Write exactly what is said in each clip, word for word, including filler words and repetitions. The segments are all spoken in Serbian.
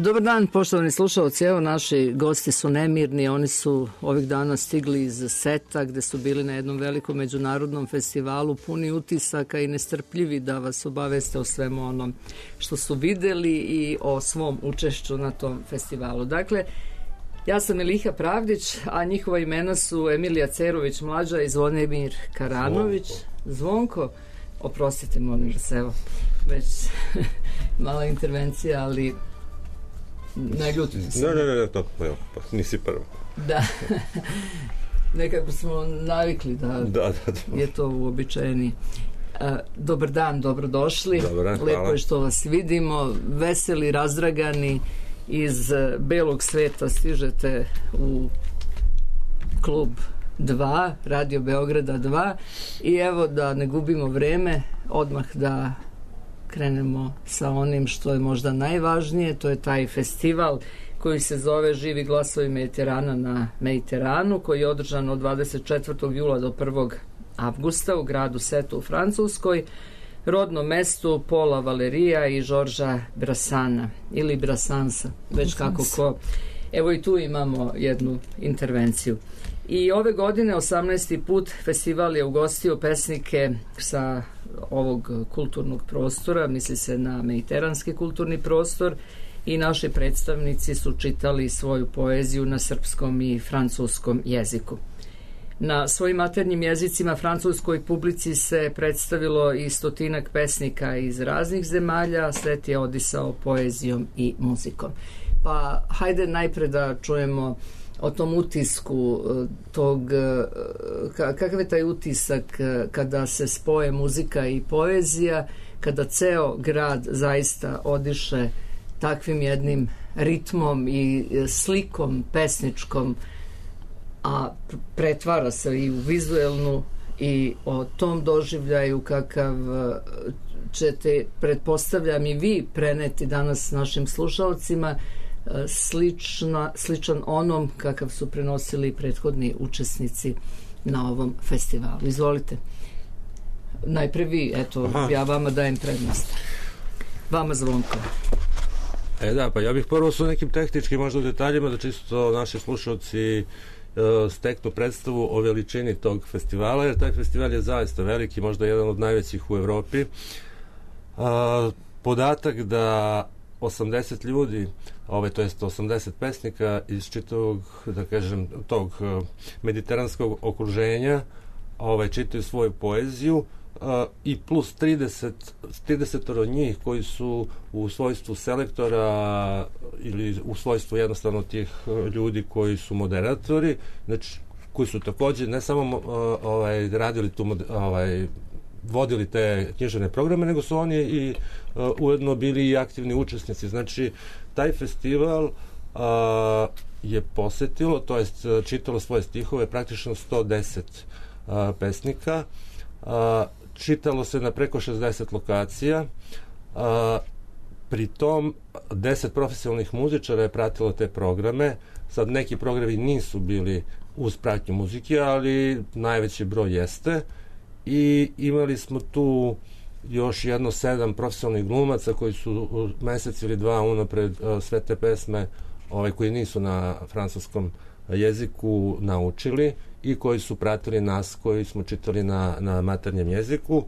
Dobar dan, poštovani slušalci. Evo, naši gosti su nemirni. Oni su ovih dana stigli iz Seta, gde su bili na jednom velikom međunarodnom festivalu, puni utisaka i nestrpljivi da vas obaveste o svemu onom što su videli i o svom učešću na tom festivalu. Dakle, ja sam Eliha Pravdić, a njihova imena su Emilija Cerović mlađa i Zvonimir Karanović. Zvonko, Zvonko oprostite, molim vas, evo, već mala intervencija, ali ne ljutim se. Ne, ne, ne, to, evo, pa nisi prvo. Da, nekako smo navikli da, da, da, da. je to uobičajeni. Dobar dan, dobrodošli. Dobar dan, lepo je što vas vidimo, veseli, razdragani, iz belog sveta stižete u klub dva, Radio Beograda dva, i evo, da ne gubimo vreme, odmah da krenemo sa onim što je možda najvažnije. To je taj festival koji se zove Živi glasovi Mediterana na Mediteranu, koji je održan od dvadeset četvrtog jula do prvog avgusta u gradu Setu u Francuskoj, rodnom mestu Paula Valerija i Žorža Brassana ili Brassansa, već kako ko. Evo, i tu imamo jednu intervenciju. I ove godine, osamnaesti put, festival je ugostio pesnike sa ovog kulturnog prostora, misli se na mediteranski kulturni prostor, i naši predstavnici su čitali svoju poeziju na srpskom i francuskom jeziku. Na svojim maternjim jezicima francuskoj publici se predstavilo i stotinak pesnika iz raznih zemalja. Svet je odisao poezijom i muzikom. Pa hajde najpre da čujemo o tom utisku tog, kakav je taj utisak kada se spoje muzika i poezija, kada ceo grad zaista odiše takvim jednim ritmom i slikom pesničkom, a pretvara se i u vizuelnu, i o tom doživljaju kakav ćete, pretpostavljam, i vi preneti danas našim slušalcima, slična, sličan onom kakav su prenosili prethodni učesnici na ovom festivalu. Izvolite. Najpre vi, eto, Aha. ja vama dajem prednost. Vama, Zvonko. E da, pa ja bih prvo su nekim tehničkim možda detaljima da čisto naši slušalci steknu predstavu o veličini tog festivala, jer taj festival je zaista veliki, možda jedan od najvećih u Evropi. A, podatak da osamdeset ljudi, ovaj, to jest osamdeset pesnika iz čitavog, da kažem, tog mediteranskog okruženja, ovaj, čitaju svoju poeziju, Uh, i plus trideset, trideset od njih koji su u svojstvu selektora ili u svojstvu jednostavno tih ljudi koji su moderatori, znači koji su takođe ne samo uh, ovaj, radili tu, ovaj, vodili te književne programe, nego su oni i uh, ujedno bili i aktivni učesnici. Znači, taj festival uh, je posetilo, to jest čitalo svoje stihove praktično sto deset uh, pesnika. Uh, čitalo se na preko šezdeset lokacija, a, pri tom deset profesionalnih muzičara je pratilo te programe. Sad, neki programi nisu bili uz pratnju muzike, ali najveći broj jeste, i imali smo tu još jedno sedam profesionalnih glumaca koji su mesec ili dva unapred a, sve te pesme ovaj, koji nisu na francuskom jeziku naučili i koji su pratili nas koji smo čitali na, na maternjem jeziku.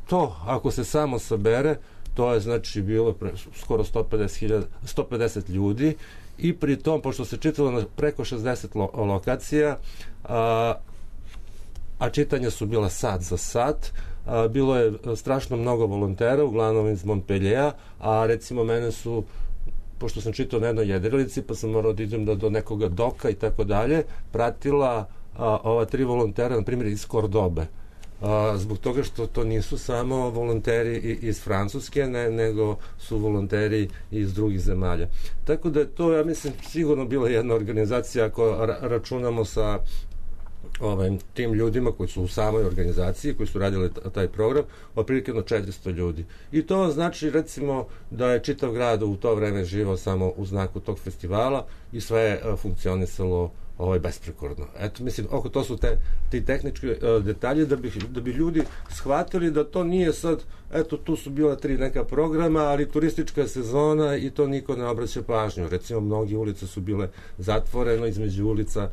To, ako se samo sabere, to je znači bilo pre, skoro sto pedeset hiljada, sto pedeset ljudi, i pri tom, pošto se čitalo na preko šezdeset lo, lokacija, a, a čitanja su bila sat za sat, a, bilo je strašno mnogo volontera, uglavnom iz Montpelliera, a recimo mene su, pošto sam čitao na jednoj jedrilici, pa sam morao da idem do, do nekoga doka i tako dalje, pratila a, ova tri volontera, na primjer iz Kordobe. A, zbog toga što to nisu samo volonteri iz Francuske, ne, nego su volonteri iz drugih zemalja. Tako da je to, ja mislim, sigurno bila jedna organizacija, ako ra računamo sa ovaj, tim ljudima koji su u samoj organizaciji, koji su radili taj program, otprilike na četiristo ljudi. I to znači, recimo, da je čitav grad u to vreme živao samo u znaku tog festivala i sve je funkcionisalo ovaj, besprekorno. Eto, mislim, oko to su te, ti tehnički uh, detalji da bi, da bi ljudi shvatili da to nije sad, eto, tu su bila tri neka programa, ali turistička sezona i to niko ne obraća pažnju. Recimo, mnogi ulice su bile zatvoreno, između ulica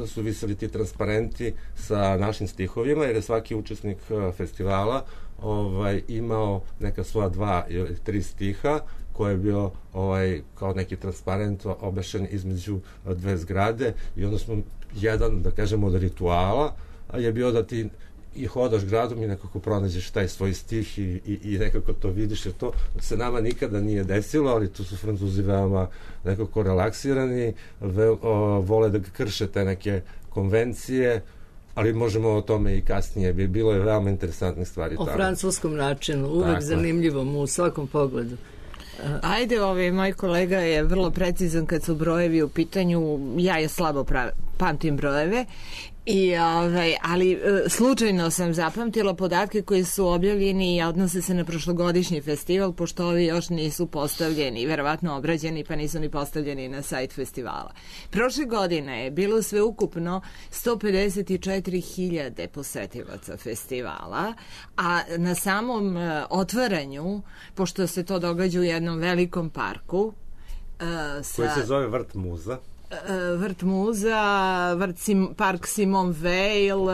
su viseli ti transparenti sa našim stihovima, jer je svaki učesnik uh, festivala ovaj, imao neka svoja dva ili tri stiha, koji je bio ovaj, kao neki transparent obešen između dve zgrade i onda smo jedan, da kažemo, od rituala je bio da ti i hodaš gradom i nekako pronađeš taj svoj stih i, i, i nekako to vidiš, jer to se nama nikada nije desilo, ali tu su Francuzi veoma nekako relaksirani, ve, o, vole da krše te neke konvencije, ali možemo o tome i kasnije. Bilo je veoma interesantnih stvari. O tamo. Francuskom načinu, uvek tako zanimljivom u svakom pogledu. Ajde, ovaj, moj kolega je vrlo precizan kad su brojevi u pitanju, ja je slabo prav, pamtim brojeve, I, ovaj, ali slučajno sam zapamtila podatke koji su objavljeni i odnose se na prošlogodišnji festival, pošto ovi još nisu postavljeni, verovatno obrađeni, pa nisu ni postavljeni na sajt festivala. Prošle godine je bilo sve ukupno sto pedeset četiri hiljade posetilaca festivala, a na samom otvaranju, pošto se to događa u jednom velikom parku, uh, sa... koji se zove Vrt Muza, Vrt Muza, Vrt Sim, park Simon Veil, uh,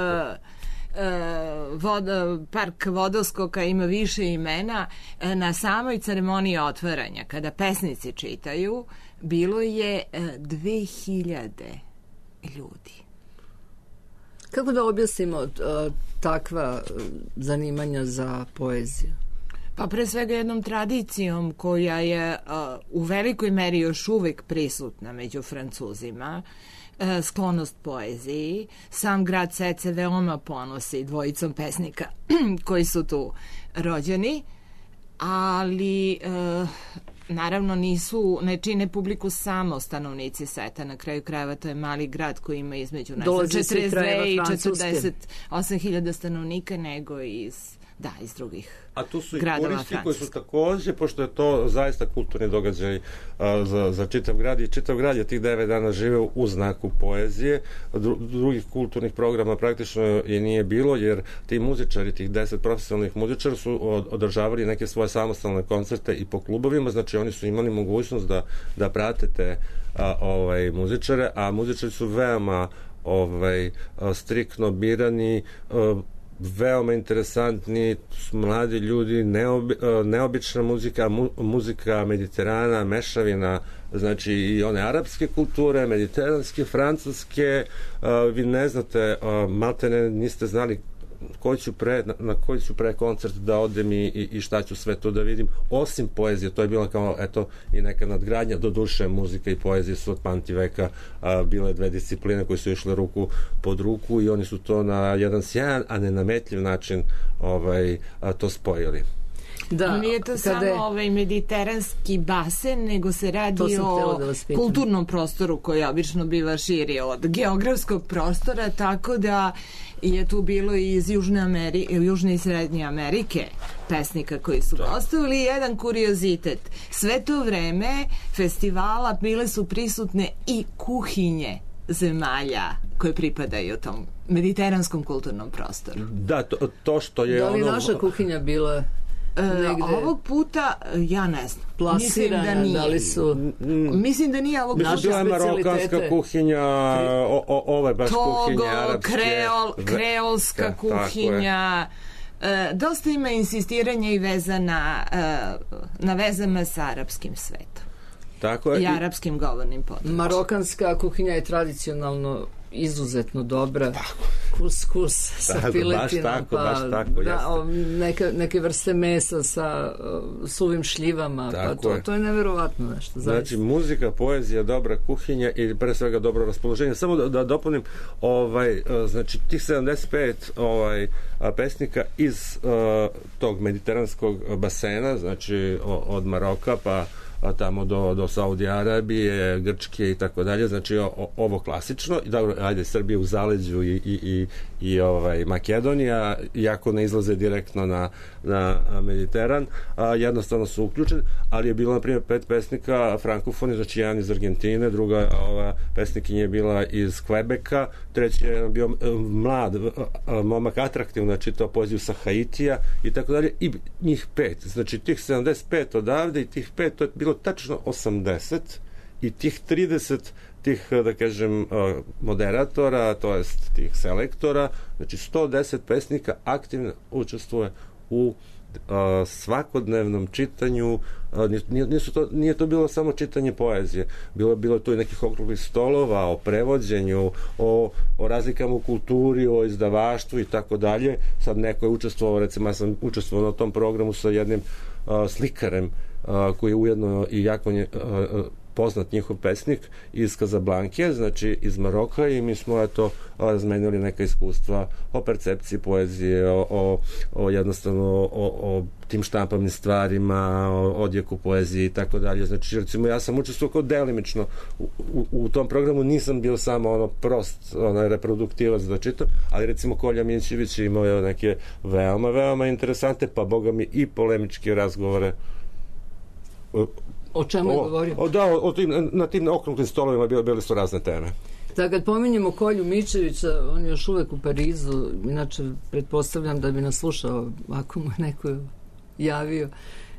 vod, park Vodoskoka, ima više imena. Na samoj ceremoniji otvaranja, kada pesnici čitaju, bilo je dve hiljade ljudi. Kako da objasnimo uh, takva zanimanja za poeziju? Pa pre svega jednom tradicijom koja je uh, u velikoj meri još uvek prisutna među Francuzima, uh, sklonost poeziji. Sam grad Sec se veoma ponosi dvojicom pesnika koji su tu rođeni, ali uh, naravno nisu, ne čine publiku samo stanovnici Seta, na kraju krajeva to je mali grad koji ima između četrdeset dve i četrdeset osam hiljada stanovnika, nego iz da, iz drugih a tu su i gradova turisti Francuske. koji su takođe, pošto je to zaista kulturni događaj a, za, za čitav grad i čitav grad je tih devet dana živeo u znaku poezije. Dru, drugih kulturnih programa praktično je nije bilo, jer ti muzičari, tih deset profesionalnih muzičara su od, održavali neke svoje samostalne koncerte i po klubovima, znači oni su imali mogućnost da, da prate te a, ovaj, muzičare, a muzičari su veoma ovaj, a, striktno birani, a, veoma interesantni, mladi ljudi, neobi, neobična muzika, mu, muzika Mediterana, mešavina, znači i one arapske kulture, mediteranske, francuske, uh, vi ne znate, uh, maltene niste znali koji ću pre, na, na koji ću pre koncert da odem i, i, i šta ću sve to da vidim, osim poezije. To je bila kao, eto, i neka nadgradnja. Do duše, muzika i poezija su od pamtiveka a, bile dve discipline koje su išle ruku pod ruku i oni su to na jedan sjajan, a nenametljiv način ovaj, a, to spojili. Da, nije to samo je... ovaj mediteranski basen, nego se radi o da kulturnom prostoru koji obično biva širi od geografskog prostora, tako da je tu bilo i iz Južne, Ameri... Južne i Srednje Amerike pesnika koji su gostovali. Jedan kuriozitet, sve to vreme festivala bile su prisutne i kuhinje zemalja koje pripadaju tom mediteranskom kulturnom prostoru. Da, to, to što je da li ono... naša kuhinja bila negde... E, ovog puta, ja ne znam. Plasirana, mislim da nije. Da li su... Mislim da nije ovog puta. Bila je marokanska kuhinja, o, o, ovo je baš Togo, kuhinja arapske. kreol, kreolska da, kuhinja. E, dosta ima insistiranja i veza na, e, na vezama sa arapskim svetom. Tako je. I arapskim govornim područjem. Marokanska kuhinja je tradicionalno izuzetno dobra. Tako. Kus, kus sa tako, piletinom, baš tako, pa baš tako, da, o, neke, neke vrste mesa sa o, suvim šljivama, tako pa to je. to je neverovatno nešto. Znači, zaista. Muzika, poezija, dobra kuhinja i pre svega dobro raspoloženje. Samo da, da dopunim, ovaj, znači, tih sedamdeset pet ovaj, pesnika iz uh, tog mediteranskog basena, znači o, od Maroka pa a, tamo do, do Saudi Arabije, Grčke i tako dalje, znači o, ovo klasično, i dobro, ajde, Srbije u zaleđu i, i, i, i ovaj, Makedonija, iako ne izlaze direktno na, na Mediteran, a, jednostavno su uključeni, ali je bilo, na primjer, pet pesnika frankofoni, znači jedan iz Argentine, druga ova pesnikinja je bila iz Kvebeka, treći je bio mlad momak, atraktivno, znači to poeziju sa Haitija i tako dalje, i njih pet, znači tih sedamdeset pet odavde i tih pet, to je bilo tačno osamdeset, i tih trideset tih, da kažem, moderatora, to jest tih selektora, znači sto deset pesnika aktivno učestvuje u Uh, svakodnevnom čitanju. uh, nisu to, nije to bilo samo čitanje poezije, bilo bilo to i nekih okruglih stolova o prevođenju, o, o razlikama u kulturi, o izdavaštvu i tako dalje. Sad neko je učestvovao, recimo ja sam učestvovao na tom programu sa jednim uh, slikarem uh, koji je ujedno i jako nje, uh, poznat njihov pesnik iz Kazablanke, znači iz Maroka, i mi smo eto razmenili neka iskustva o percepciji poezije, o, o, o jednostavno o, o tim štampavnim stvarima, o odjeku poezije i tako dalje. Znači, recimo, ja sam učestvovao kao delimično u, u, u tom programu, nisam bio samo ono prost, onaj reproduktivac da čitam, ali recimo Kolja Minčević je imao neke veoma, veoma interesante, pa boga mi i polemičke razgovore. O čemu je govorio? O, da, o, o tim, na tim okruglim stolovima bile, bile su razne teme. Da, kad pominjemo Kolju Mičevića, on je još uvek u Parizu, inače pretpostavljam da bi nas slušao ako mu neko javio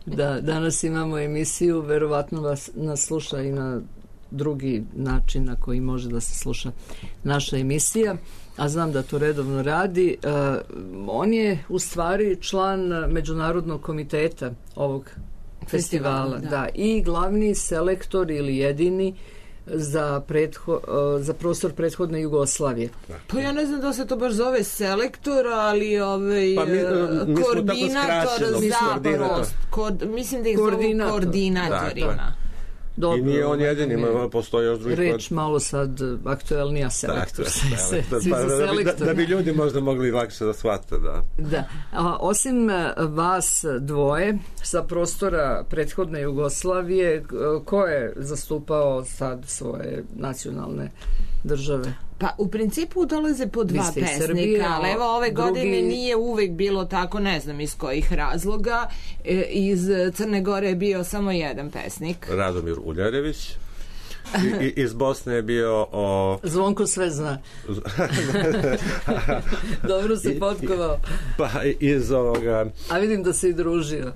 da danas imamo emisiju, verovatno vas, nas sluša i na drugi način na koji može da se sluša naša emisija, a znam da to redovno radi. Uh, on je u stvari član Međunarodnog komiteta ovog festivala, da. da, i glavni selektor ili jedini za, pretho, za prostor prethodne Jugoslavije. Pa ja ne znam da se to baš zove selektor, ali ovaj, pa mi, mi koordinator za prost. Kod, mislim da ih zovu koordinatorima. Dobro, i nije on jedini, ima, postoji još drugih... Reč malo sad aktuelnija selektor. Dakle, selektor. Pa, da, bi, da, da bi ljudi možda mogli lakše da shvate, da. Da. A, osim vas dvoje sa prostora prethodne Jugoslavije, ko je zastupao sad svoje nacionalne države? Pa u principu dolaze po dva pesnika, Srbije, ali evo ove drugi... godine nije uvek bilo tako, ne znam iz kojih razloga. E, iz Crne Gore je bio samo jedan pesnik. Radomir Uljarević. I, i, iz Bosne je bio o... Zvonko sve zna. Dobro se potkovao. Pa iz ovoga... A vidim da se i družio.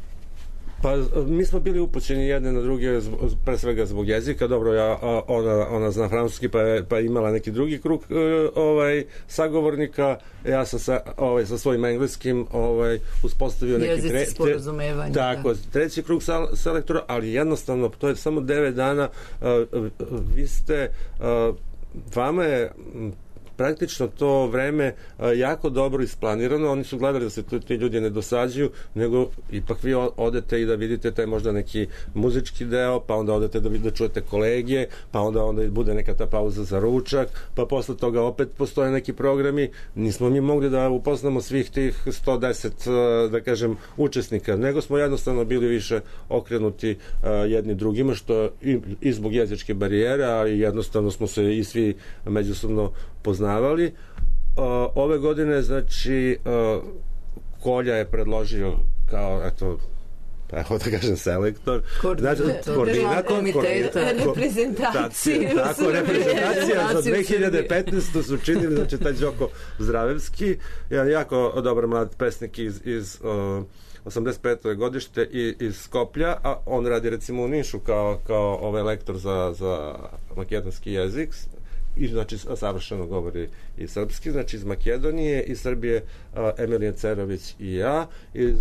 Pa mi smo bili upućeni jedne na druge, pre svega zbog jezika. Dobro, ja, ona, ona zna francuski, pa je pa imala neki drugi krug ovaj, sagovornika. Ja sam sa, ovaj, sa svojim engleskim ovaj, uspostavio neki jezici tre, sporazumevanja. Tako, da. Treći krug selektora, ali jednostavno, to je samo devet dana. Vi ste, vama je praktično to vreme a, jako dobro isplanirano. Oni su gledali da se tu, ti ljudi ne dosađuju, nego ipak vi odete i da vidite taj možda neki muzički deo, pa onda odete da, da čujete kolegije, pa onda onda bude neka ta pauza za ručak, pa posle toga opet postoje neki programi. Nismo mi mogli da upoznamo svih tih sto deset, da kažem, učesnika, nego smo jednostavno bili više okrenuti a, jedni drugima, što i, i zbog jezičke barijere, a i jednostavno smo se i svi međusobno poznavali. Ove godine, znači, Kolja je predložio kao, eto, pa evo da kažem selektor, koordinator, koordinator reprezentacije, tako, reprezentacija za dve hiljade petnaestu su činili, znači, taj Đoko Zdravevski, jedan jako dobar mlad pesnik iz, iz uh, osamdeset peto godište i, iz Skoplja, a on radi recimo u Nišu kao, kao ovaj lektor za, za makedonski jezik, i znači savršeno govori i srpski, znači iz Makedonije, iz Srbije a, Emilija Cerović i ja, iz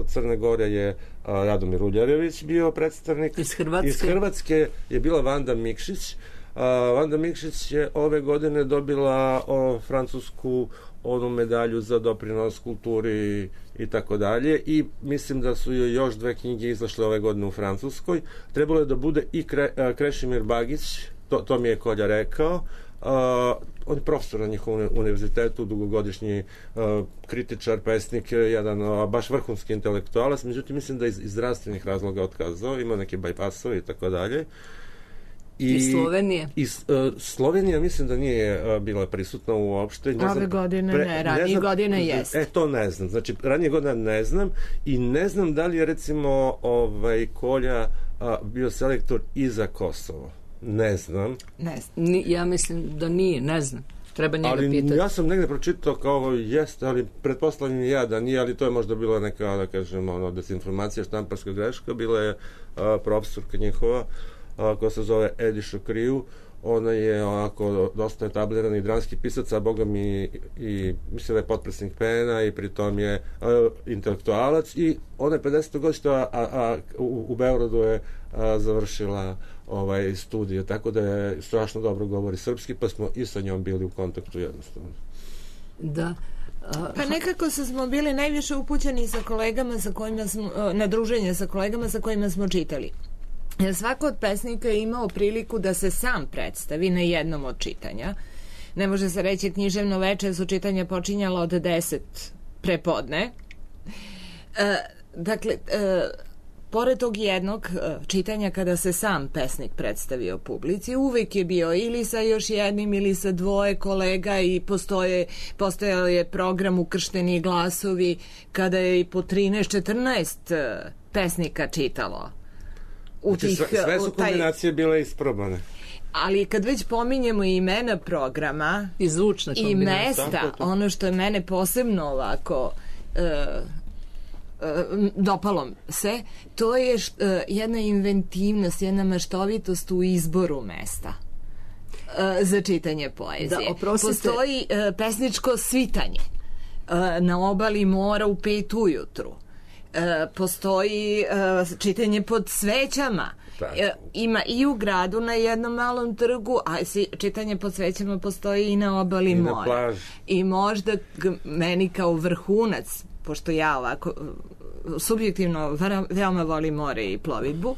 Crne Gore je a, Radomir Uljarević bio predstavnik, iz Hrvatske, iz Hrvatske je bila Vanda Mikšić. a, Vanda Mikšić je ove godine dobila o, francusku onu medalju za doprinos kulturi i tako dalje, i mislim da su joj još dve knjige izašle ove godine u Francuskoj. Trebalo je da bude i Kre, a, Krešimir Bagić, To, to mi je Kolja rekao, on je profesor na njihovom univerzitetu, dugogodišnji uh, kritičar, pesnik, jedan uh, baš vrhunski intelektualac, međutim mislim da iz, iz zdravstvenih razloga otkazao, ima neke bajpasove i tako dalje. I, I Slovenije? I, uh, Slovenija mislim da nije uh, bila prisutna uopšte. Ne Ove znam, godine pre, ne, ranije godine jest. E, to ne znam. Znači, ranije godina ne znam i ne znam da li je recimo ovaj, Kolja uh, bio selektor i za Kosovo. Ne znam. Ne znam. Ni, ja mislim da nije, ne znam. Treba njega ali pitati. Ja sam negde pročitao kao jeste, ali pretpostavljam ja da nije, ali to je možda bila neka, da kažem, ono, desinformacija, štamparska greška. Bila je a, profesorka njihova, a, koja se zove Ediša Kriju. Ona je onako dosta etablirani dramski pisac, a boga mi i mislim da je potpredsjednik P N A i pritom je a, intelektualac i ona je pedesetog godišta, a, a u, u Beogradu je a, završila ovaj studije, tako da je strašno dobro govori srpski, pa smo i sa njom bili u kontaktu jednostavno. Da. A, pa nekako smo bili najviše upućeni sa kolegama sa kojima smo, na druženje sa kolegama sa kojima smo čitali. Jer svako od pesnika je imao priliku da se sam predstavi na jednom od čitanja. Ne može se reći književno veče, su čitanja počinjala od deset prepodne. E, dakle, e, pored tog jednog čitanja kada se sam pesnik predstavio publici, uvek je bio ili sa još jednim ili sa dvoje kolega i postoje, postojao je program Ukršteni glasovi kada je i po trinaest četrnaest pesnika čitalo. U znači, tih, sve, sve su taj... kombinacije bile isprobane. Ali kad već pominjemo imena programa i zvučna i mesta, ono što je mene posebno ovako uh, uh, dopalo se, to je št, uh, jedna inventivnost, jedna maštovitost u izboru mesta uh, za čitanje poezije. Da, oprostite. Postoji uh, pesničko svitanje uh, na obali mora u pet ujutru. E, postoji e, čitanje pod svećama. E, ima i u gradu na jednom malom trgu, a si, čitanje pod svećama postoji i na obali I mora. Na plaži. I možda g, meni kao vrhunac, pošto ja ovako subjektivno veoma volim more i plovidbu,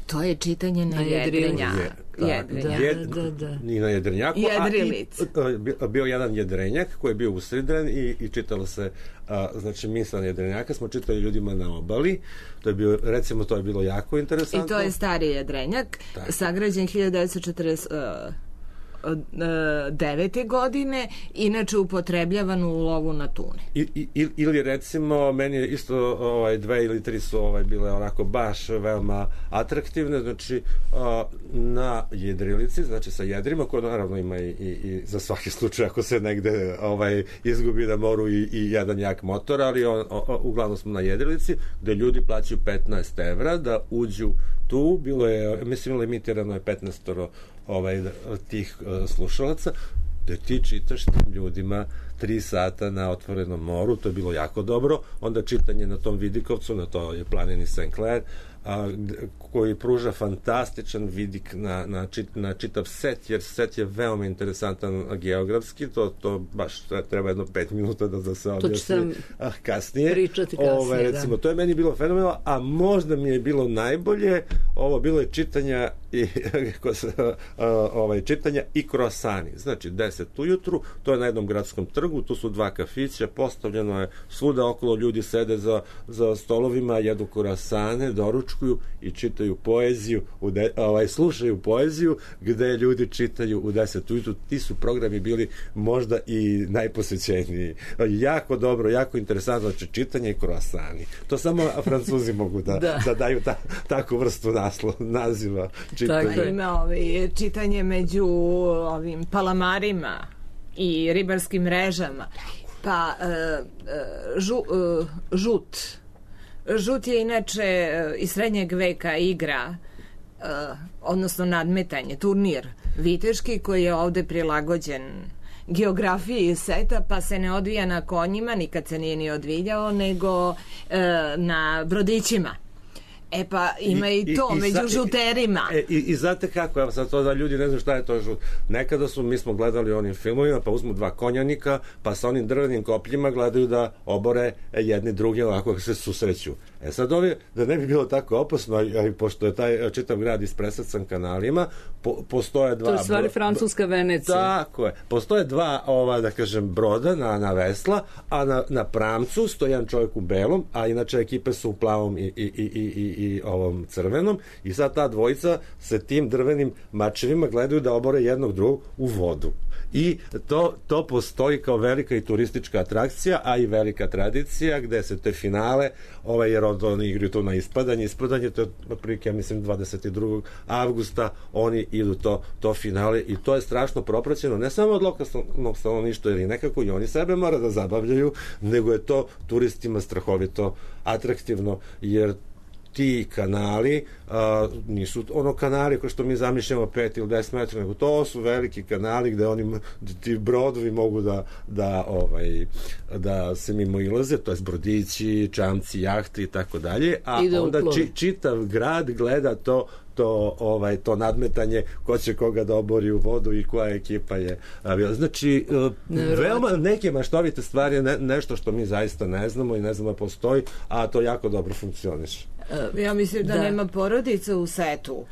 to je čitanje na, na jedrenjaku. Jedrenjak. Jed, da, da. I na jedrenjaku. Jedrilic. A, i, bio jedan jedrenjak koji je bio usidren i, i čitalo se, a, znači misla jedrenjaka smo čitali ljudima na obali. To je bio, recimo, to je bilo jako interesantno. I to je stari jedrenjak, tako. Sagrađen hiljadu devetsto četrdeset devete godine, inače upotrebljavan u lovu na tune. I, i, ili recimo, meni je isto ovaj, dve ili tri su ovaj, bile onako baš veoma atraktivne, znači a, na jedrilici, znači sa jedrima, koje naravno ima i, i, i za svaki slučaj ako se negde ovaj, izgubi na moru i, i jedan jak motor, ali on, o, o, uglavnom smo na jedrilici, gde ljudi plaćaju petnaest evra da uđu tu, bilo je, mislim, limitirano je petnaest ovaj, tih uh, slušalaca, da ti čitaš tim ljudima tri sata na otvorenom moru, to je bilo jako dobro, onda čitanje na tom Vidikovcu, na to je planini Saint Clair, a, koji pruža fantastičan vidik na, na, čit, na čitav set, jer set je veoma interesantan geografski, to, to baš treba jedno pet minuta da, da se objasni ah, kasnije. Pričati kasnije, Ove, recimo, da. To je meni bilo fenomenalno, a možda mi je bilo najbolje, ovo bilo je čitanja i ovaj, čitanja i kroasani, znači deset ujutru, to je na jednom gradskom trgu, tu su dva kafića, postavljeno je svuda okolo, ljudi sede za, za stolovima, jedu kroasane, doručkuju i čitaju poeziju, u de, ovaj, slušaju poeziju, gde ljudi čitaju u deset ujutru. Ti su programi bili možda i najposećeniji. Jako dobro, jako interesantno, znači čitanje i kroasani. To samo Francuzi mogu da, da. da daju ta, takvu vrstu naslo, naziva čitanja. Tako, ima ovaj, čitanje među ovim palamarima i ribarskim mrežama. Pa uh, žu, uh, žut žut je inače uh, iz srednjeg veka igra uh, odnosno nadmetanje, turnir viteški koji je ovde prilagođen geografiji seta, pa se ne odvija na konjima, nikad se nije ni odvijao, nego uh, na brodićima. E pa ima i, i to, i, među i, žuterima. E, i, I znate kako, evo sad to da ljudi ne znaju šta je to žut. Nekada su, mi smo gledali onim filmovima, pa uzmu dva konjanika, pa sa onim drvenim kopljima gledaju da obore jedni druge ovako se susreću. E sad ovi, da ne bi bilo tako opasno, a i pošto je taj čitav grad ispresacan kanalima, po, postoje dva... To je stvari francuska Venecija. Tako je. Postoje dva, ova, da kažem, broda na, na vesla, a na, na pramcu stoji jedan čovjek u belom, a inače ekipe su u plavom i, i, i, i, i ovom crvenom, i sad ta dvojica se tim drvenim mačevima gledaju da obore jednog drugog u vodu. I to, to postoji kao velika i turistička atrakcija, a i velika tradicija gde se te finale, ovaj, jer onda oni igraju to na ispadanje, ispadanje to je otprilike, ja mislim, dvadeset drugog avgusta oni idu to, to finale i to je strašno propraćeno, ne samo od lokalnog stanovništva, jer nekako i oni sebe mora da zabavljaju, nego je to turistima strahovito atraktivno, jer ti kanali a, nisu ono kanali kao što mi zamišljamo pet ili deset metara, nego to su veliki kanali gde oni, ti brodovi mogu da, da, ovaj, da se mimo ilaze, to je brodići, čamci, jahti i tako dalje, a onda či, čitav grad gleda to to, ovaj, to nadmetanje ko će koga da obori u vodu i koja ekipa je bila. Znači, veoma neke maštovite stvari, ne, nešto što mi zaista ne znamo i ne znamo da postoji, a to jako dobro funkcioniše. Ja mislim da, da nema porodice u setu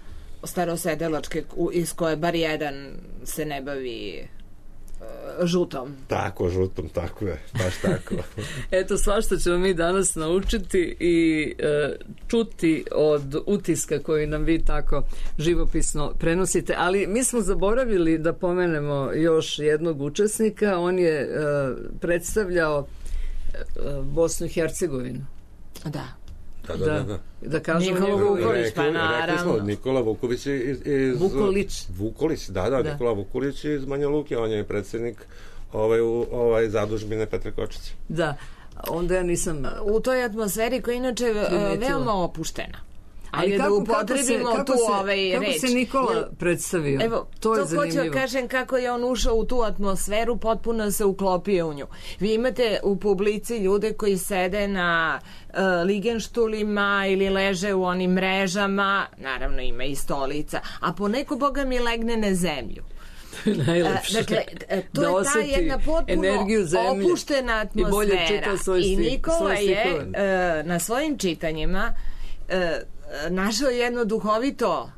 starosedelačke iz koje bar jedan se ne bavi žutom. Tako, žutom, tako je, baš tako. Eto, svašta ćemo mi danas naučiti i e, čuti od utiska koji nam vi tako živopisno prenosite, ali mi smo zaboravili da pomenemo još jednog učesnika, on je e, predstavljao e, Bosnu i Hercegovinu. Da. Da, da, da, da. Da kažemo Nikola Vuković, pa naravno. Smo, Nikola Vuković iz, iz... Vukolić. Vukolić, da, da, da, Nikola Vukolić iz Banja Luke, on je predsjednik ovaj, ovaj zadužbine Petre Kočića. Da, onda ja nisam... U toj atmosferi koja inače veoma opuštena. Ali kako, da upotrebimo kako se, tu se, ovaj kako reč. Kako se Nikola predstavio? Evo, to je to zanimljivo. hoću kažem kako je on ušao u tu atmosferu, potpuno se uklopio u nju. Vi imate u publici ljude koji sede na uh, ligenštulima ili leže u onim mrežama, naravno ima i stolica, a poneko boga mi legne na zemlju. Najlepše. Dakle, to da je ta jedna potpuno opuštena atmosfera. I, I Nikola je uh, na svojim čitanjima uh, našao jedno duhovito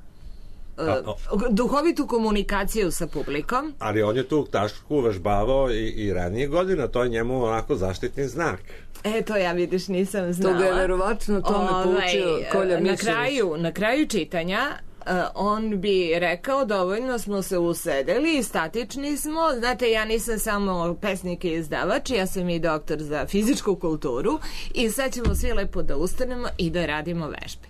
uh, duhovitu komunikaciju sa publikom. Ali on je tu tašku uvežbavao i, i ranije godina, to je njemu onako zaštitni znak. E, to ja vidiš nisam znala. To ga je verovatno tome ovaj, poučio Kolja Mićević. Na kraju, na kraju čitanja Uh, on bi rekao dovoljno smo se usedeli i statični smo, znate ja nisam samo pesnik i izdavač, ja sam i doktor za fizičku kulturu i sad ćemo svi lepo da ustanemo i da radimo vežbe.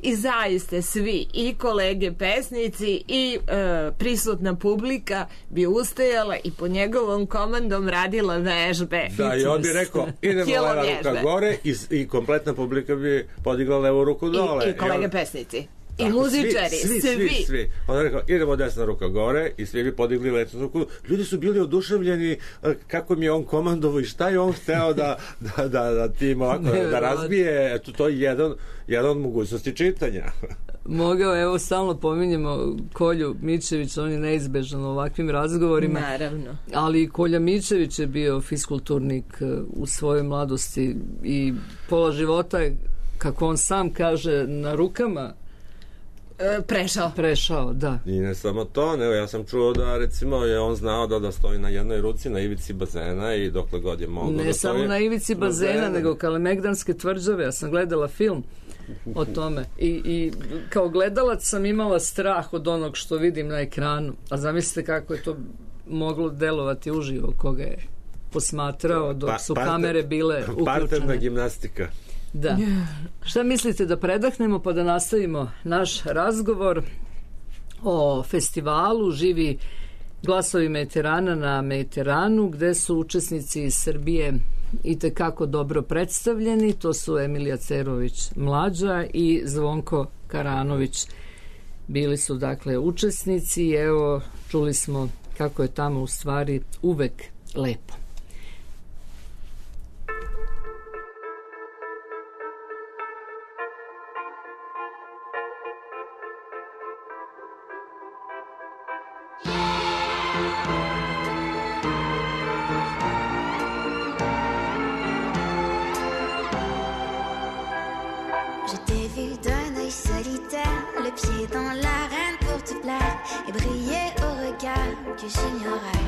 I zaiste svi, i kolege pesnici i uh, prisutna publika bi ustajala i pod njegovom komandom radila vežbe. Da, i on bi rekao idemo leva ruka gore i, i kompletna publika bi podigla levu ruku dole. I, i kolege I on... pesnici. I tako, muzičari, svi, svi, svi, svi, svi. On je rekao, idemo desna ruka gore i svi bi podigli letu ruku. Ljudi su bili oduševljeni kako mi je on komandovao i šta je on hteo da, da, da, da tim ovako, da razbije. Eto, to je jedan, jedan od mogućnosti čitanja. Mogao, evo, stalno pominjemo Kolju Mićević, on je neizbežan u ovakvim razgovorima. Naravno. Ali Kolja Mićević je bio fiskulturnik u svojoj mladosti i pola života je, kako on sam kaže, na rukama prešao. Prešao, da. I ne samo to, nego ja sam čuo da recimo je on znao da da stoji na jednoj ruci na ivici bazena i dokle god je mogao ne da samo stoji na ivici bazena, bazena, nego Kalemegdanske tvrđave. Ja sam gledala film o tome i, i kao gledalac sam imala strah od onog što vidim na ekranu, a zamislite kako je to moglo delovati uživo koga je posmatrao dok su pa, kamere bile uključene. Parterna gimnastika. Da. Šta mislite da predahnemo pa da nastavimo naš razgovor o festivalu Živi glasovi Mediterana na Mediteranu, gde su učesnici iz Srbije i tekako dobro predstavljeni. To su Emilija Cerović mlađa i Zvonko Karanović. Bili su dakle učesnici i evo čuli smo kako je tamo u stvari uvek lepo. que j'ignorais.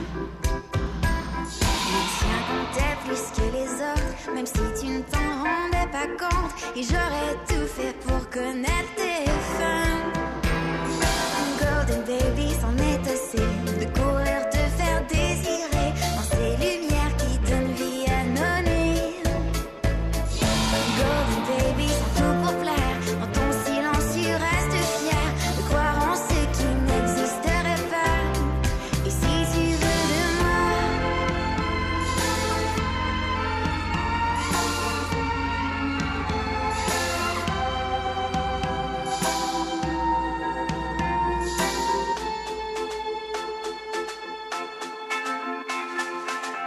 Le tien comptait plus que les autres, même si tu ne t'en rendais pas compte. Et j'aurais tout fait pour connaître tes fins. Golden baby, c'en est assez de courir, te faire désirer dans ces lumières qui donnent vie à nos nuits. Golden baby, sans tout pour plaire, dans ton silence tu restes fier de croire en ce qui n'existerait pas. Et si tu veux de moi,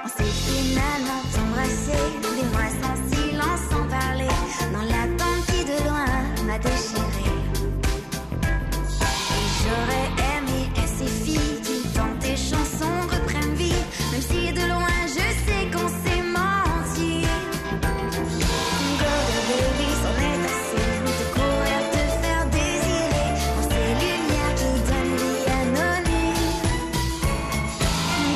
on s'est finalement embrassé, des mois sans silence, sans parler, dans l'attente qui de loin m'a déchiré. Et j'aurais aimé que ces filles qui dans tes chansons reprennent vie, même si de loin je sais qu'on s'est menti. Golden baby, c'en est assez de courir, te faire désirer dans ces lumières qui donnent vie à nos nuits.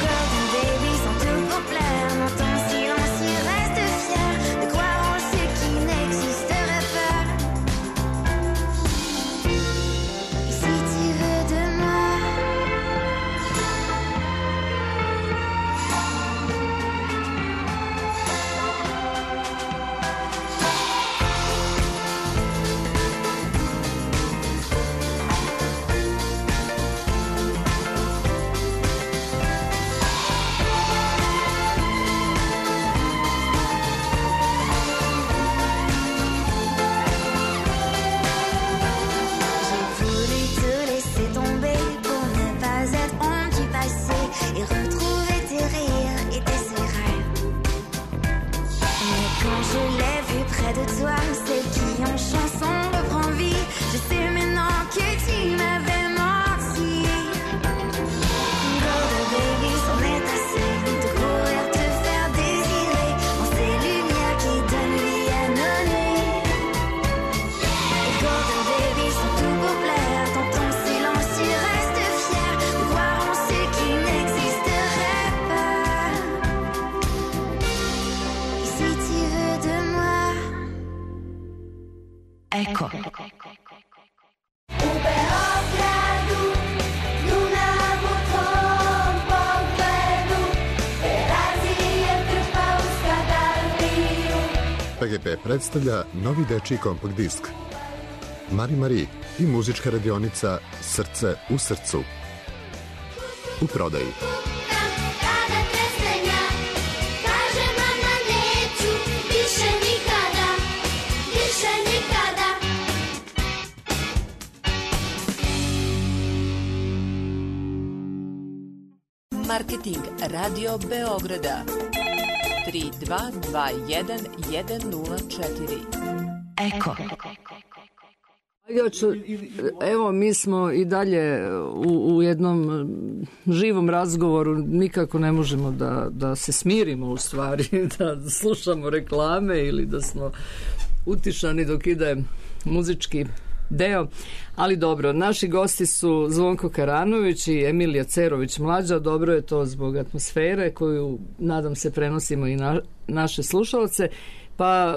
Golden baby, sans tout pour plaire, dans ton silence tu restes fier de croire en ce qui n'existerait pas. Et si tu veux de moi, j'ai voulu te laisser tomber pour ne pas être honte du passé et retrouver tes rires et tes secrets. Mais quand je l'ai vu près de toi, celle qui en chanson reprend vie, je sais maintenant que tu m'avais menti. Golden baby, c'en est assez de courir, te faire désirer dans ces lumières qui donnent vie à nos nuits. Golden baby, sans tout pour plaire, dans ton silence tu restes fier de croire en ce qui n'existerait pas. Et si tu veux de moi, Ecco. P G P predstavlja novi dečiji kompakt disk Mari Mari i muzička radionica Srce u srcu. U prodaji. kada te srenja, kaže mama neću više nikada, više nikada. Marketing Radio Beograda tri dva dva jedan jedan nula četiri. Eko. Ja ću, evo, mi smo i dalje u, u jednom živom razgovoru, nikako ne možemo da, da se smirimo u stvari, da slušamo reklame ili da smo utišani dok ide muzički deo, ali dobro, naši gosti su Zvonko Karanović i Emilija Cerović mlađa, dobro je to zbog atmosfere koju nadam se prenosimo i na naše slušalce. Pa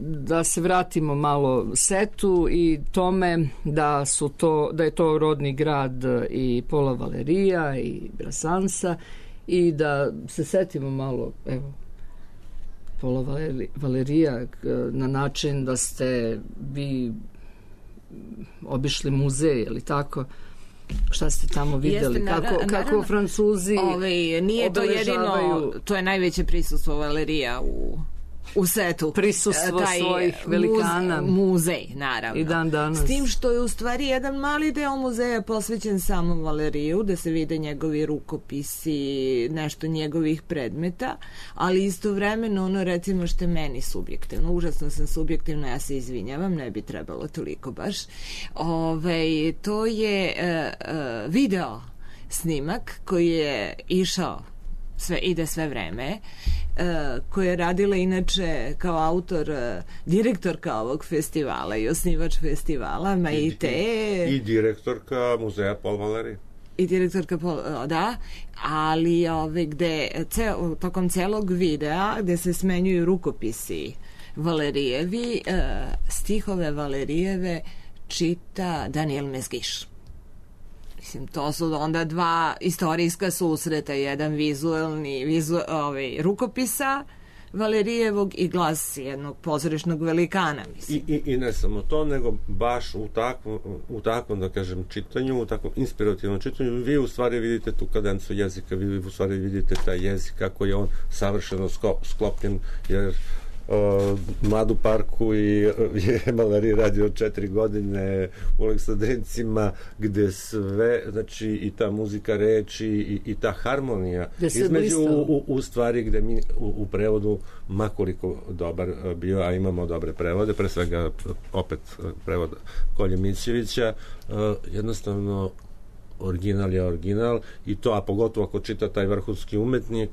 da se vratimo malo setu i tome da su to, da je to rodni grad i Pola Valerija i Brasansa i da se setimo malo, evo, Pola Valerija na način da ste vi obišli muzej, ili tako? Šta ste tamo videli? Jeste, kako, naravno, kako Francuzi Ove, nije to jedino, to je najveće prisustvo Valerija u u setu. Prisustvo taj svojih velikana. Muz, muzej, naravno. I dan danas. S tim što je u stvari jedan mali deo muzeja posvećen samom Valeriju, da se vide njegovi rukopisi, nešto njegovih predmeta, ali istovremeno ono, recimo, što je meni subjektivno, užasno sam subjektivno, ja se izvinjavam, ne bi trebalo toliko baš. Ove, to je uh, uh, video snimak koji je išao sve, ide sve vreme, uh, koja je radila inače kao autor, uh, direktorka ovog festivala i osnivač festivala, Maite. I, i, i direktorka muzeja Paul Valéry. i direktorka Pol- da, ali ove, gde ceo, tokom celog videa gde se smenjuju rukopisi Valerijevi, e, stihove Valerijeve čita Daniel Mezgiš. Mislim, to su onda dva istorijska susreta, jedan vizuelni vizu, ovaj, rukopisa Valerijevog i glas jednog pozorišnog velikana, mislim. I, i, I ne samo to, nego baš u takvom, u takvom, da kažem, čitanju, u takvom inspirativnom čitanju, vi u stvari vidite tu kadencu jezika, vi u stvari vidite taj jezik, kako je on savršeno sklopljen, jer Uh, Mladu parku i uh, je Malarije radio četiri godine u Aleksandrincima, gde sve, znači i ta muzika reči i, i ta harmonija između u, u, u stvari gde mi u, u prevodu makoliko dobar bio, a imamo dobre prevode, pre svega opet prevod Kolje Mićevića, uh, jednostavno original je original i to, a pogotovo ako čita taj vrhunski umetnik,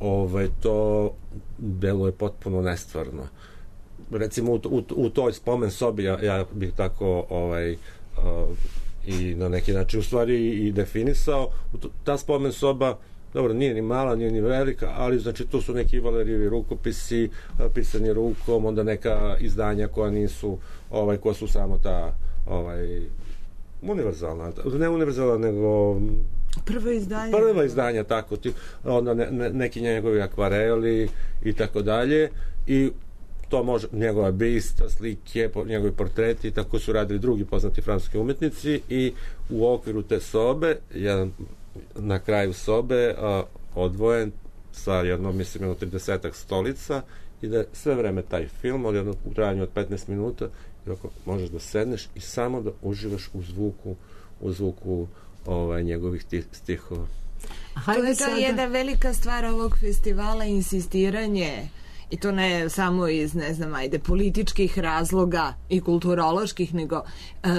ovaj, to delo je potpuno nestvarno. Recimo u, u, u toj spomen sobi ja, ja bih tako ovaj, uh, i na neki način u stvari i definisao. Ta spomen soba, dobro, nije ni mala, nije ni velika, ali znači tu su neki Valerijevi rukopisi, pisani rukom, onda neka izdanja koja nisu, ovaj, koja su samo ta ovaj, univerzalna, ne univerzalna, nego prvo izdanje. Prva izdanja, tako, ti, onda ne, ne, neki njegovi akvareli i tako dalje, i to može, njegova bista, slike, njegovi portreti, tako su radili drugi poznati francuski umetnici, i u okviru te sobe, jedan, na kraju sobe, a, odvojen sa jednom, mislim, jedno tridesetak stolica, i da sve vreme taj film, od jednog u trajanju od petnaest minuta, i ako možeš da sedneš i samo da uživaš u zvuku, u zvuku ovaj, njegovih stihova. To je ta jedna velika stvar ovog festivala, insistiranje, i to ne samo iz, ne znam, ajde, političkih razloga i kulturoloških, nego uh,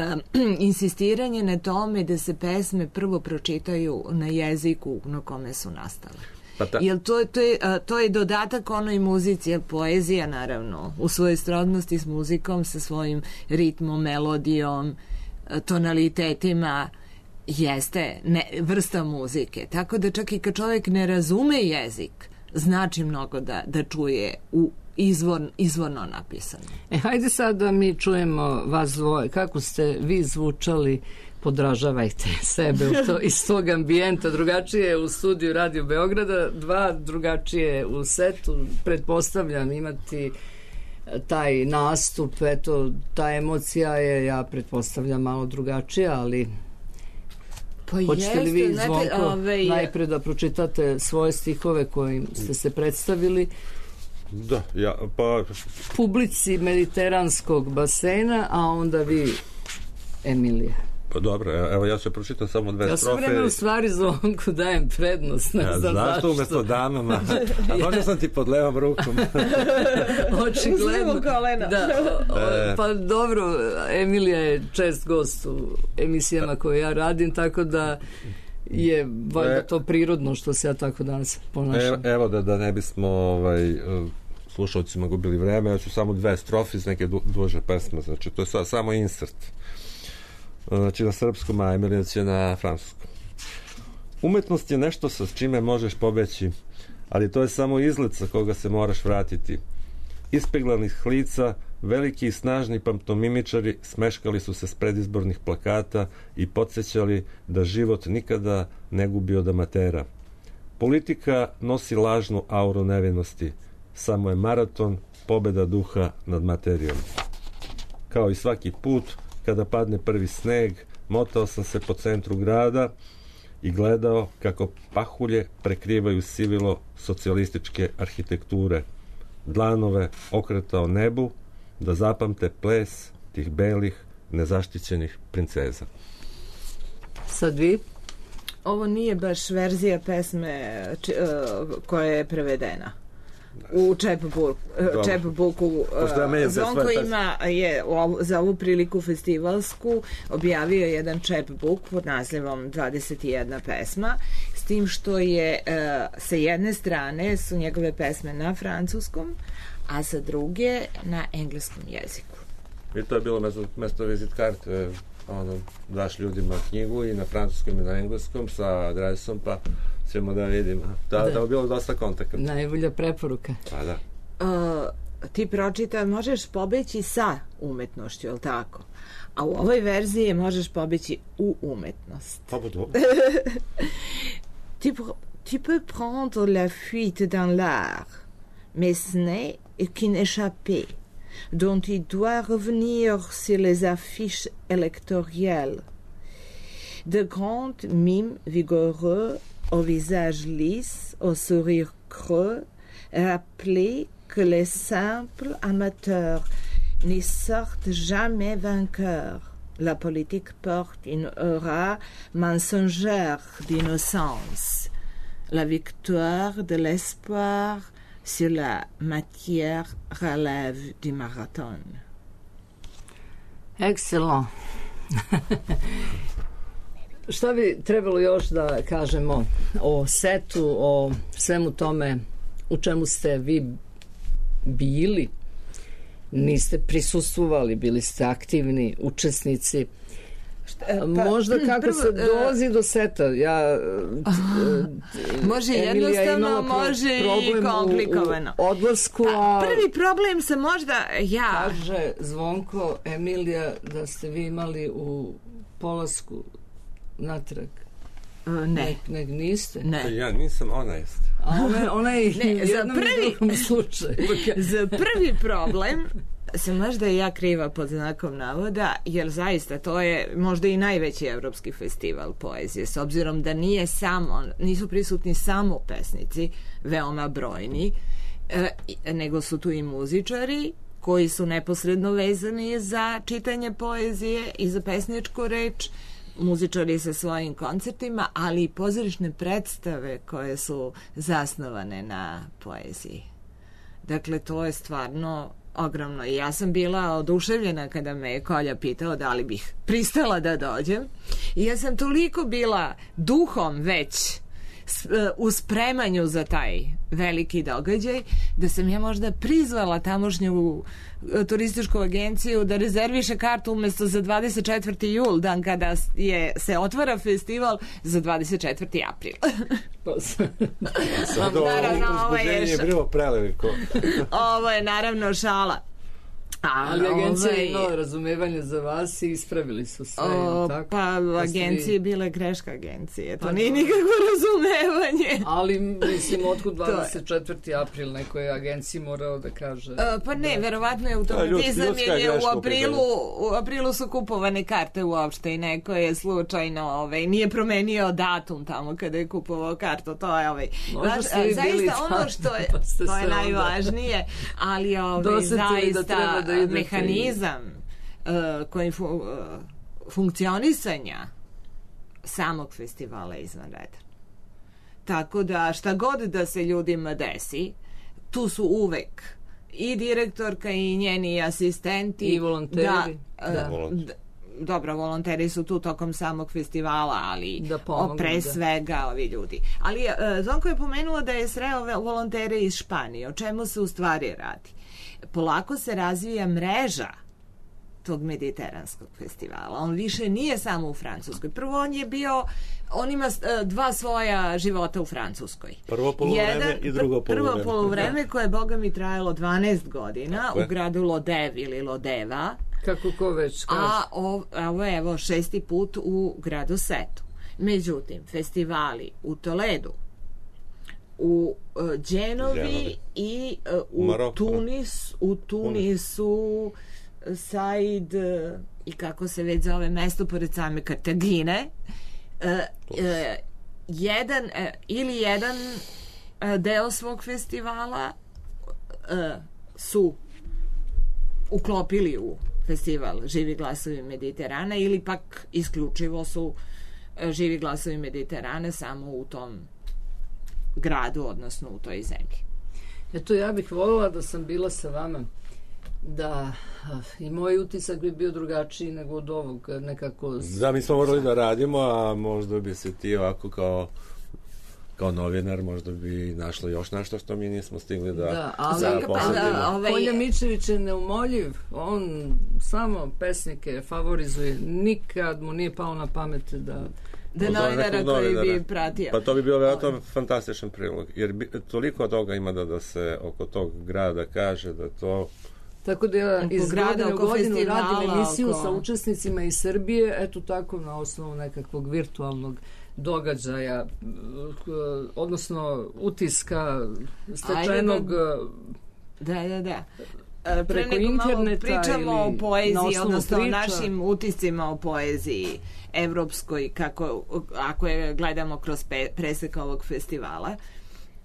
insistiranje na tome da se pesme prvo pročitaju na jeziku na kome su nastale. Pa ta... Jer to, to, je, to je dodatak onoj muzici, poezija naravno u svojoj srodnosti s muzikom, sa svojim ritmom, melodijom, tonalitetima, jeste ne, vrsta muzike. Tako da čak i kad čovjek ne razume jezik, znači mnogo da, da čuje u izvor, izvorno napisano. E, hajde sad da mi čujemo vas dvoje. Kako ste vi zvučali? Podražavajte sebe u to, iz tog ambijenta. Drugačije u studiju Radio Beograda, dva drugačije u setu. Pretpostavljam imati taj nastup, eto, ta emocija je, ja pretpostavljam, malo drugačija, ali pa hoćete li vi, Zvonko, ove... najpre da pročitate svoje stihove kojim ste se predstavili da, ja, pa... publici mediteranskog basena, a onda vi, Emilija. Pa dobro, evo ja ću pročitam samo dve ja strofe. Ja sam vreme u stvari Zvonku dajem prednost, ne ja, znam zašto. Zašto umesto damama? A možda sam ti pod levom rukom. Očigledno. Da, o, o, pa dobro, Emilija je čest gost u emisijama koje ja radim, tako da je valjda to prirodno što se ja tako danas ponašam. E, evo da, da ne bismo ovaj, slušalcima gubili vreme, ja ću samo dve strofe iz neke du, duže pesme, znači to je sa, samo insert. Znači na srpskom, a Emilija će na francuskom. Umetnost je nešto sa čime možeš pobeći, ali to je samo izlet sa koga se moraš vratiti. Ispeglanih lica, veliki i snažni pantomimičari smeškali su se s predizbornih plakata i podsjećali da život nikada ne gubi od amatera. Politika nosi lažnu auru nevinosti, samo je maraton pobeda duha nad materijom. Kao i svaki put, kada padne prvi sneg, motao sam se po centru grada i gledao kako pahulje prekrivaju sivilo socijalističke arhitekture. Dlanove okretao nebu da zapamte ples tih belih, nezaštićenih princeza. Sad vi? Ovo nije baš verzija pesme či, uh, koja je prevedena. U Čepbuku, Čepbuku Zvonko ima je za ovu priliku festivalsku objavio jedan Čepbuk pod nazivom dvadeset jedna pesma, s tim što je sa jedne strane su njegove pesme na francuskom, a sa druge na engleskom jeziku. I to je bilo mesto, mesto vizit karte, ono, daš ljudima knjigu i na francuskom i na engleskom sa adresom, pa ćemo da vidimo. Da, da, da je bilo dosta kontakata. Najbolja preporuka. Pa da. Uh, ti pročita, možeš pobeći sa umetnošću, je li tako? A u ovoj verziji možeš pobeći u umetnost. Pa bo dobro. tu, tu peux prendre la fuite dans l'art, mais ce n'est qu'une échappée dont tu dois revenir sur les affiches électorales. De grands mimes vigoureux, au visage lisse, au sourire creux, rappeler que les simples amateurs n'y sortent jamais vainqueurs. La politique porte une aura mensongère d'innocence. La victoire de l'espoir sur la matière relève du marathon. Excellent. Šta bi trebalo još da kažemo o setu, o svemu tome u čemu ste vi bili? Niste prisustvovali, bili ste aktivni učesnici. Šta, pa, možda kako prvo, se dolazi do seta. Ja, može jednostavno, može i komplikovano. U, u odlasku, a prvi problem se možda ja... Kaže Zvonko, Emilija, da ste vi imali u polasku natrag. Uh, ne. Nek, nek niste? Ne. Ja nisam, ona jest. A ona, ona je ne, u jednom prvi, drugom slučaju. Za prvi problem sam možda i ja kriva pod znakom navoda, jer zaista to je možda i najveći evropski festival poezije, s obzirom da nije samo, nisu prisutni samo pesnici, veoma brojni, e, nego su tu i muzičari koji su neposredno vezani za čitanje poezije i za pesničku reč, muzičari sa svojim koncertima, ali i pozorišne predstave koje su zasnovane na poeziji. Dakle, to je stvarno ogromno. I ja sam bila oduševljena kada me je Kolja pitao da li bih pristala da dođem. I ja sam toliko bila duhom već u spremanju za taj veliki događaj, da sam ja možda prizvala tamošnju turističku agenciju da rezerviše kartu umjesto za dvadeset četvrti jul, dan kada je, se otvara festival, za dvadeset četvrti april. Sad ovo uzbuđenje je bilo preveliko. Ovo je naravno šala. A, ali agencija je imala razumevanje za vas i ispravili su sve. O, tako? Pa agencije je bila greška agencije. To pa nije nikakvo razumevanje. Ali mislim, otkud dvadeset četvrti april nekoj agenciji morao da kaže? O, pa ne, da, verovatno je automatizam, jer je u aprilu, u aprilu su kupovane karte uopšte i neko je slučajno ovaj, nije promenio datum tamo kada je kupovao kartu. To je ovaj, vaš, zaista ono što je, pa to je najvažnije, ali ovaj, zaista da mehanizam uh, koji fu, uh, funkcionisanja samog festivala je izvanredan. Tako da šta god da se ljudima desi, tu su uvek i direktorka i njeni asistenti i volonteri. Da, da. Uh, da, dobro, volonteri su tu tokom samog festivala, ali da pomogu, pre da. svega ovi ljudi. Ali uh, Zvonko je pomenuo da je sreo volontere iz Španije. O čemu se u stvari radi? Polako se razvija mreža tog mediteranskog festivala. On više nije samo u Francuskoj. Prvo on je bio, on ima dva svoja života u Francuskoj. Prvo poluvreme i drugo poluvreme. Prvo poluvreme koje je, boga mi, trajalo dvanaest godina Tako u gradu Lodev ili Lodeva. Kako ko već kaže. A ovo je evo šesti put u gradu Setu. Međutim, festivali u Toledu, u uh, Dženovi, Dženovi i uh, u Maroko. Tunis, u Tunisu, Said uh, i kako se već zove mesto pored same Kartagine, uh, uh, jedan uh, ili jedan uh, deo svog festivala uh, su uklopili u festival Živi glasovi Mediterana ili pak isključivo su uh, Živi glasovi Mediterana samo u tom gradu, odnosno u toj zemlji. Eto, ja bih voljela da sam bila sa vama, da i moj utisak bi bio drugačiji nego od ovog, nekako... Da, mi smo morali da radimo, a možda bi se ti ovako kao kao novinar možda bi našla još nešto što mi nismo stigli da, da, ali, da posjetimo. Ovaj... Kolja Mičević je neumoljiv, on samo pesnike favorizuje, nikad mu nije pao na pamet da da novinara koji bi pratio. Pa to bi bio vjerojatno fantastičan prilog, jer bi, toliko toga ima da, da se oko tog grada kaže, da to... Tako da ja iz godine u godinu radim emisiju oko... sa učesnicima iz Srbije, eto tako na osnovu nekakvog virtualnog događaja, odnosno utiska stečenog da, da, da. preko interneta pričamo o poeziji, odnosno priča. O našim utiscima o poeziji evropskoj, kako, ako je gledamo kroz pe, presek ovog festivala,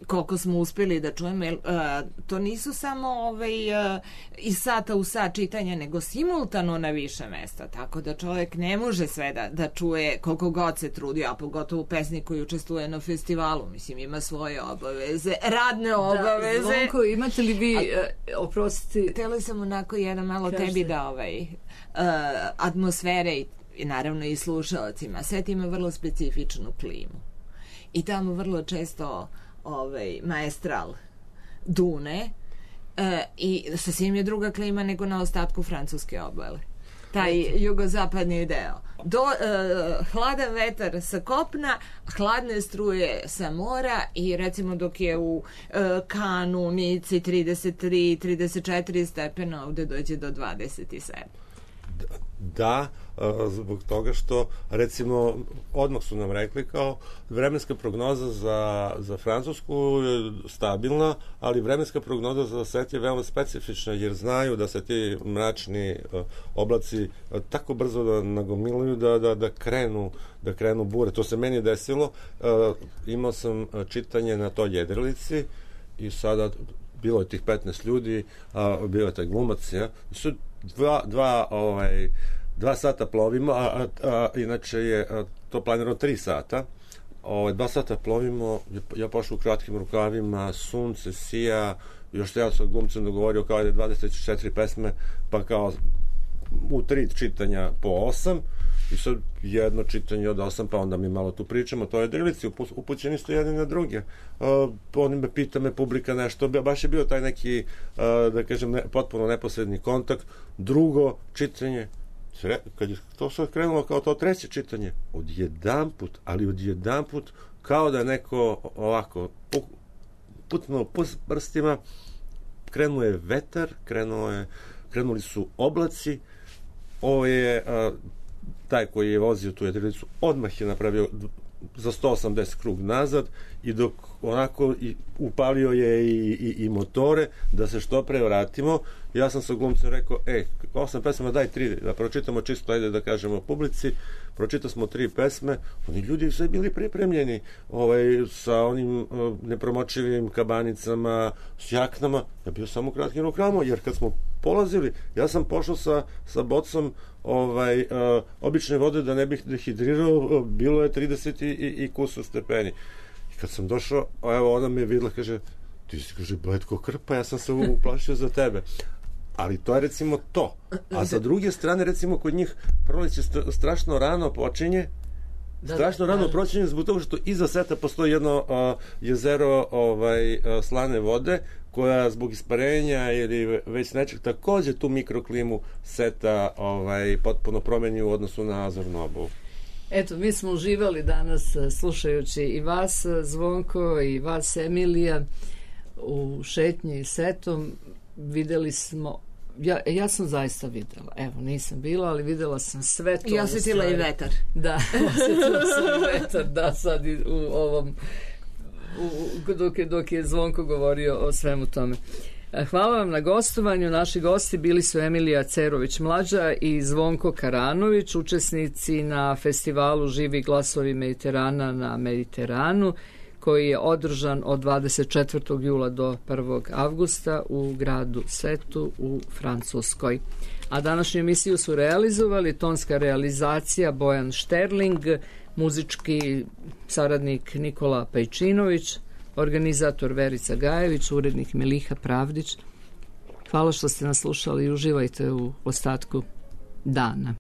koliko smo uspjeli da čujemo, jer, uh, to nisu samo ovaj, uh, iz sata u sat čitanja, nego simultano na više mesta, tako da čovjek ne može sve da, da čuje koliko god se trudio, a pogotovo pesnik koji učestvuje na festivalu, mislim, ima svoje obaveze, radne obaveze. Da, Zvonko, imate li vi, uh, oprostiti... Htjeli sam onako jedan malo Kažete. tebi da ovaj, uh, atmosfere i, i naravno i slušalcima, sve ima vrlo specifičnu klimu. I tamo vrlo često ovaj, maestral dune e, i sasvim je druga klima nego na ostatku francuske obale. Taj jugozapadni deo. Do, e, hladan vetar sa kopna, hladne struje sa mora i recimo dok je u e, Kanu, Nici trideset tri trideset četiri stepena, ovde dođe do dvadeset sedam. Da, zbog toga što recimo odmah su nam rekli kao vremenska prognoza za, za Francusku je stabilna, ali vremenska prognoza za svet je veoma specifična jer znaju da se ti mračni oblaci tako brzo da nagomiluju da, da, da krenu da krenu bure. To se meni desilo, imao sam čitanje na toj jedrilici i sada bilo je tih petnaest ljudi, a bio je taj glumac, ja, su dva, dva, ovaj, dva sata plovimo, a, a, a inače je a, to planirano tri sata. Ovaj, dva sata plovimo, ja pošao u kratkim rukavima, sunce sija, još ja sam glumcem dogovorio kao je dvadeset četiri pesme, pa kao u tri čitanja po osam, i sad jedno čitanje od osam, pa onda mi malo tu pričamo, to je drilici, upućeni ste jedni na druge. Uh, oni me pita me publika nešto, baš je bio taj neki, uh, da kažem, ne, potpuno neposredni kontakt. Drugo čitanje, kad je to sad krenulo kao to treće čitanje, odjedanput, ali odjedanput, kao da je neko ovako putnuo prstima, krenuo je vetar, krenuo je, krenuli su oblaci, ovo je uh, taj koji je vozio tu jedrilicu odmah je napravio za sto osamdeset krug nazad i dok onako i upalio je i, i, i motore da se što pre vratimo. Ja sam sa glumcem rekao, ej, osam pesama, daj tri, da pročitamo čisto, ajde da kažemo publici. Pročitao smo tri pesme, oni ljudi sve bili pripremljeni ovaj, sa onim uh, nepromočivim kabanicama, s jaknama. Ja bio samo kratkim rukama, jer kad smo polazili, ja sam pošao sa, sa bocom ovaj, uh, obične vode da ne bih dehidrirao, uh, bilo je trideset i, i, i kusur stepeni. I kad sam došao, evo ona me je videla, kaže, ti si, kaže, bletko krpa, ja sam se uplašio za tebe. Ali to je recimo to. A sa druge strane, recimo, kod njih proleće strašno rano počinje, da, strašno da, rano da. počinje zbog toga što iza seta postoji jedno uh, jezero ovaj, uh, slane vode, koja zbog isparenja ili već nečeg takođe tu mikroklimu seta ovaj, potpuno promeni u odnosu na azornu obalu. Eto, mi smo uživali danas slušajući i vas, Zvonko, i vas, Emilija, u šetnji setom. Videli smo, ja, ja sam zaista videla, evo, nisam bila, ali videla sam sve to. I osjetila i vetar. Da, osjetila sam i vetar, da, sad u ovom, u, dok, je, dok je Zvonko govorio o svemu tome. Hvala vam na gostovanju. Naši gosti bili su Emilija Cerović-mlađa i Zvonko Karanović, učesnici na festivalu Živi glasovi Mediterana na Mediteranu, koji je održan od dvadeset četvrtog jula do prvog avgusta u gradu Setu u Francuskoj. A današnju emisiju su realizovali tonska realizacija Bojan Šterling, muzički saradnik Nikola Pejčinović, organizator Verica Gajević, urednik Miliha Pravdić. Hvala što ste nas slušali i uživajte u ostatku dana.